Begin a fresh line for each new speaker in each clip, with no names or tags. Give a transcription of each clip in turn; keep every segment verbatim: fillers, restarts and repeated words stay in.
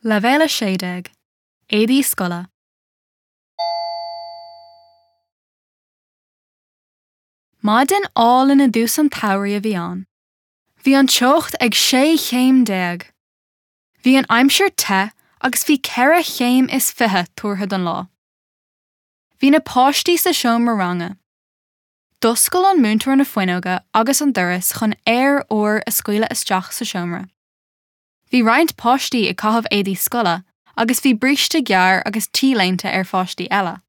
Leibhéal a sé déag, Éadaí scoile. Maidin álainn i dtús an tsamhraidh a bhí ann. Bhí an teocht ag sé chéim déag. Bhí an aimsir te agus bhí ceithre chéim is fiche tuartha don lá. Bhí na páistí sa seomra ranga. D'oscail an múinteoir na fuinneoga agus an doras chun aer úr a scaoileadh isteach sa seomra. Bhí roinnt páistí ag caitheamh éadaí scoile agus bhí bríste gearr agus t-léinte ar pháistí eile.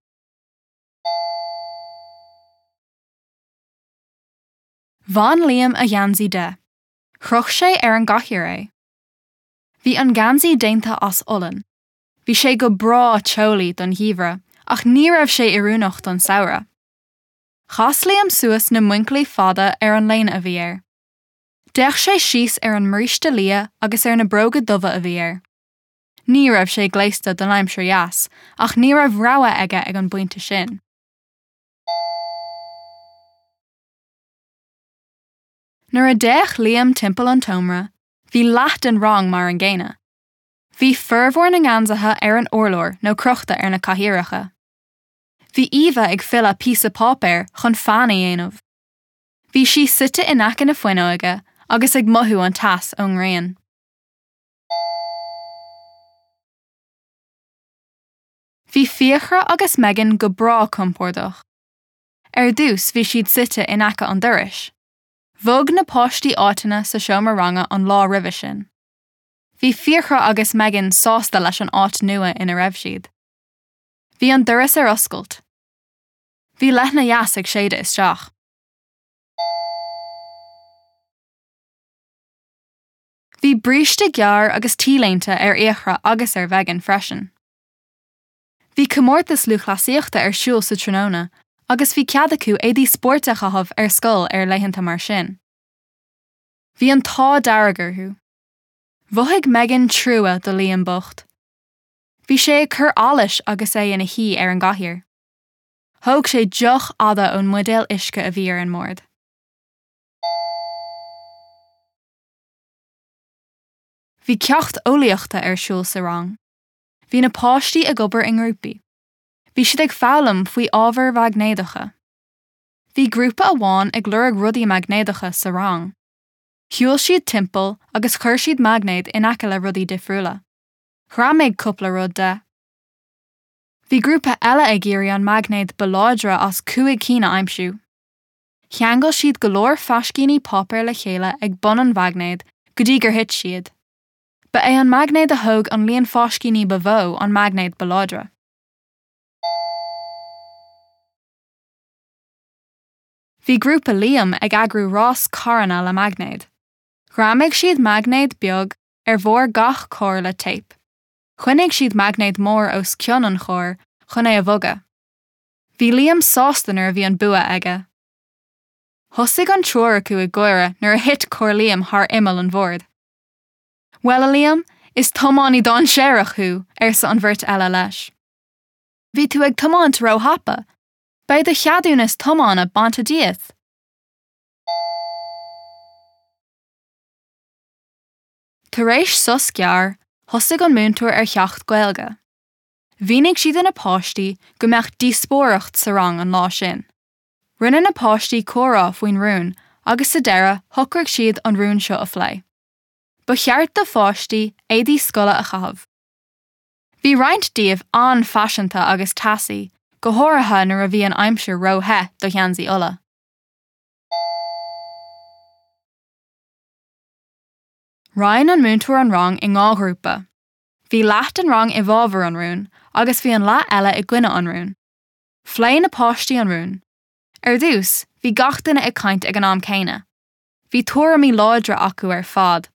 Bhain Liam a gheansaí de. Chroch sé ar an gcathaoir é. Bhí an geansaí déanta as olann. Bhí sé go breá teolaí don gheimhreadh ach ní raibh sé oiriúnach don samhradh. Chas Liam suas na muincillí fada ar an léine a bhí air. D'fhéach sé síos ar an mbríste liath agus ar na bróga dubha a bhí air. Ní raibh sé gléasta don aimsir dheas, ach ní raibh rogha aige ag an bpointe sin. Nuair a d'fhéach Liam timpeall an tseomra, bhí leath den rang mar an gcéanna. Bhí formhór na ngeansaithe ar an urlár nó crochta ar na cathaoireacha. Bhí Eva ag filleadh píosa páipéir chun fean a dhéanamh. Bhí sí suite in aice na fuinneoige agus ag mothú an teas ón ngrian. Bhí Fiachra agus Megan go breá compordach. Ar dtús bhí siad suite in aice an dorais. Bhog na páistí áiteanna sa seomra ranga an lá roimhe sin. Bhí Fiachra agus Megan sásta leis an áit nua ina raibh siad. Bhí an doras ar oscailt. Bhí leoithne dheas ag séideadh isteach. Bhí bríste gearr agus t-léinte ar Fhiachra agus ar Mhegan freisin. Bhí comórtas lúthchleasaíochta ar siúl sa tráthnóna agus bhí cead acu éadaí spóirt a chaitheamh ar scoil ar laethanta mar sin. Bhí an t-ádh dearg orthu. Mhothaigh Megan trua do Liam bocht. Bhí sé ag cur allais agus é ina shuí ar an gcathaoir. Thóg sé deoch fhada ón mbuidéal uisce a bhí ar an mbord. Bhí ceacht eolaíochta ar siúl sa rang. Bhí na páistí ag obair i ngrúpaí. Bhí siad ag foghlaim faoi ábhair mhaighnéadacha. Bhí grúpa amháin ag lorg rudaí maighnéadacha sa rang. Shiúil siad timpeall agus chuir siad maighnéad in aice le rudaí difriúla. Ghreamaigh cúpla rud de. Bhí grúpa eile ag iarraidh an maighnéad ba láidre as cúig cinn a aimsiú. Cheangail siad go leor fáiscíní páipéir le chéile ag bun an mhaighnéid go dtí gur thit siad. Ba é an maighnéad a thóg an líon fáiscíní ba mhó an maighnéad ba láidre. Bhí grúpa Liam ag eagrú rás carranna le maighnéad. Ghreamaigh siad maighnéad beag ar bharr gach carr le téip. Choinnigh siad maighnéad mór os cionn an chairr chun é a bhogadh. Bhí Liam sásta nuair a bhí an bua aige. Thosaigh an triúr acu ag gáire nuair a thit carr Liam thar imeall an bhoird. Bhuel, a Liam, is tiománaí dainséarach thú, arsa an bheirt eile leis. Bhí tú ag tiomáint róthapa. Beidh do cheadúnas tiomána bainte díot. Tar éis sos gearr, thosaigh an múinteoir ar cheacht Gaeilge. Mhínigh sí do na páistí go mbeadh díospóireacht sa rang an lá sin. Rinne na páistí comhrá faoin rún agus sa deireadh shocraigh siad an rún seo a phlé. Ba cheart do pháistí éadaí scoile a chaitheamh. Bhí roinnt díobh an-fhaiseanta agus teasaí, go háirithe nuair a bhí an aimsir róthe do gheansaí olla. Roinn an múinteoir an rang i dhá ghrúpa. Bhí leath den rang i bhfabhar an rúin agus bhí an leath eile i gcoinne an rúin. Phléigh na páistí an rún. Ar dtús, bhí gach duine ag caint ag an am céanna. Bhí tuairimí láidre acu ar fad.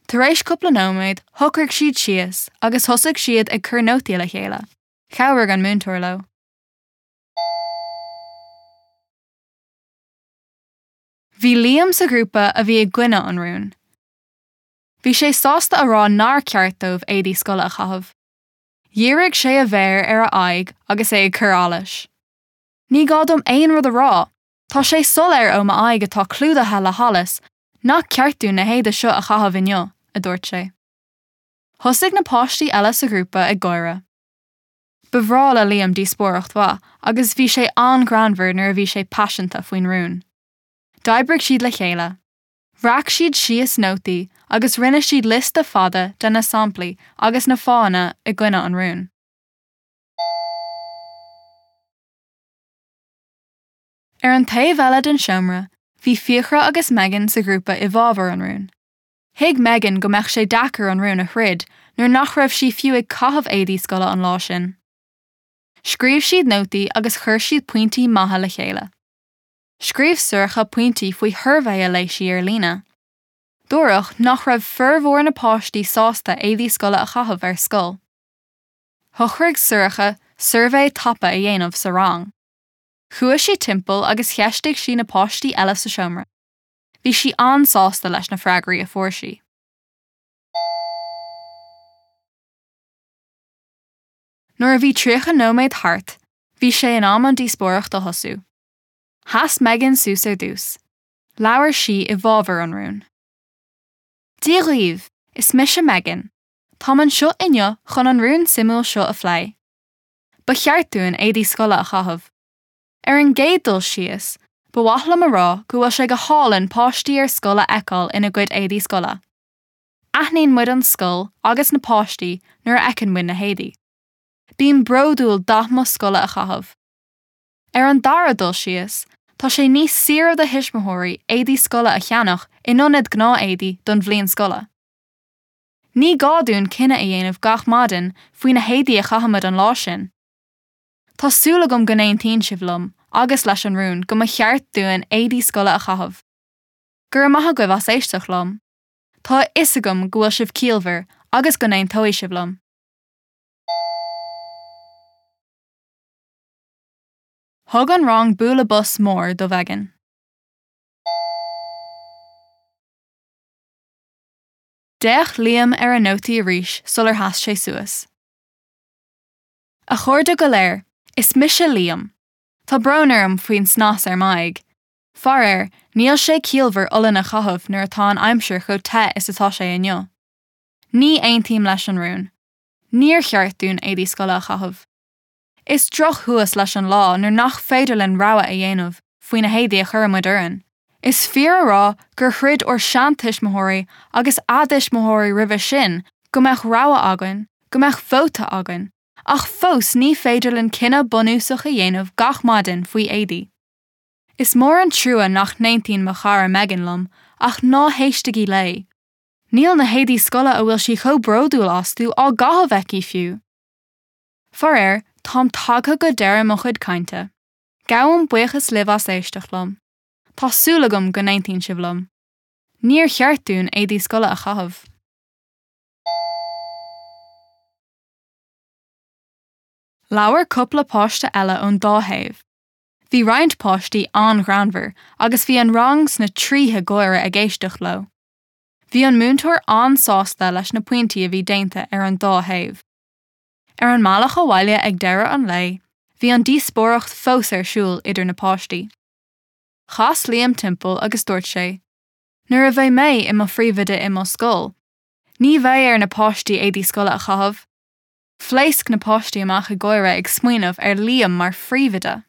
Tar éis cúpla nóiméad, shocraigh siad síos agus thosaigh siad ag cur nótaí le chéile. Chabhraigh an múinteoir leo. Bhí Liam sa ghrúpa a bhí i gcoinne an rúin. Bhí sé sásta a rá nár cheart dóibh éadaí scoile a chaitheamh. Dhírigh sé a mhéar ar a aghaidh agus é ag cur allais. Ní gá dom aon rud a rá, tá sé soiléir ó m'aghaidh atá clúdaithe le hallas nach ceart dúinn na héadaí seo a chaitheamh inniu, a dúirt sé. Thosaigh na páistí eile sa ghrúpa ag gáire. Ba bhreá le Liam díospóireacht mhaith agus bhí sé an-ghreannmhar nuair a bhí sé paiseanta faoin rún. D'oibrigh siad le chéile. Bhreac siad síos nótaí agus rinne siad liosta fada de na samplaí agus na fáthanna i gcoinne an rúin. Ar an taobh eile den seomra, bhí Fiachra agus Megan sa ghrúpa i bhfabhar an rúin. Thuig Megan go mbeadh sé deacair an rún a throid nuair nach raibh sí fiú ag caitheamh éadaí scoile an lá sin. Scríobh siad nótaí agus chuir siad pointí maithe le chéile. Scríobh Sorcha pointí faoi shuirbhé a léigh sí ar líne. Dúradh nach raibh formhór na páistí sásta éadaí scoile a chaitheamh ar scoil. Shocraigh Sorcha suirbhé tapa a dhéanamh sa rang. Chuaigh sí timpeall agus cheistigh sí na páistí eile sa seomra. Bhí sí an-sásta leis na freagraí a fuair sí. Nuair a bhí tríocha nóiméad thart, bhí sé in am an díospóireacht a thosú. Sheas Megan suas ar dtús. Labhair sí i bhfabhar an rúin. Dia dhaoibh, is mise Megan. Táim anseo inniu chun an rún suimiúil seo a phlé. Ba cheart dúinn éadaí scoile a chaitheamh. Ar an gcéad dul síos, ba mhaith liom a rá go bhfuil sé go hálainn páistí ar scoil a fheiceáil ina gcuid éadaí scoile. Aithníonn muid an scoil agus na páistí nuair a fheiceann muid na héadaí. Bím bródúil dath mo scoile a chaitheamh. Ar an dara dul síos, tá sé níos saoire do thuismitheoirí éadaí scoile a cheannach in ionad gnáthéadaí don bhliain scoile. Ní gá dúinn cinneadh a dhéanamh gach maidin faoi na héadaí a chaithfimid an lá sin. Tá súil agam go n-aontaíonn sibh liom agus leis an rún go mba cheart dúinn éadaí scoile a chaitheamh. Go raibh maith agaibh as éisteacht liom. Tá a fhios agam go bhfuil sibh ciallmhar agus go n-aontóidh sibh liom. Thug an rang bualadh bos mór do Mhegan. D'fhéach Liam ar a nótaí arís sular sheas sé suas. A chairde go léir, is mise Liam. Tá brón orm faoin snas ar m'aghaidh. Faraor, níl sé ciallmhar olann a chaitheamh nuair atá an aimsir chomh te is atá sé inniu. Ní aontaím leis an rún. Níor cheart dúinn éadaí scoile a chaitheamh. Is drochthuas leis an lá nuair nach féidir linn rogha a dhéanamh faoi na héadaí a chuirimid orainn. Is fíor a rá gur throid ár seantuismitheoirí agus a dtuismitheoirí roimhe sin go mbeadh rogha againn, go mbeadh vóta againn, ach fós ní féidir linn cinneadh bunúsach a dhéanamh gach maidin faoi éadaí. Is mór an trua nach n-aontaíonn mo chara Megan liom, ach ná héistigí léi. Níl na héadaí scoile a bhfuil sí chomh bródúil astu á gcaitheamh aici fiú. Faraor, táim tagtha go deireadh mo chuid cainte. Gabhaim buíochas libh as éisteacht liom. Tá súil agam go n-aontaíonn sibh liom. Níor cheart dúinn éadaí scoile a chaitheamh. Labhair cúpla páiste eile ón dá thaobh. Bhí roinnt páistí an-ghreannmhar agus bhí an rang sna tríthe gáire ag éisteacht leo. Bhí an múinteoir an-sásta leis na pointí a bhí déanta ar an dá thaobh. Ar an mbealach abhaile ag deireadh an lae, bhí an díospóireacht fós ar siúl idir na páistí. Chas Liam timpeall agus dúirt sé, Nuair a bheidh mé i mo phríomhoide i mo scoil, ní bheidh ar na páistí éadaí scoile a chaitheamh. Phléasc na páistí amach ag gáire ag smaoineamh ar Liam mar phríomhoide.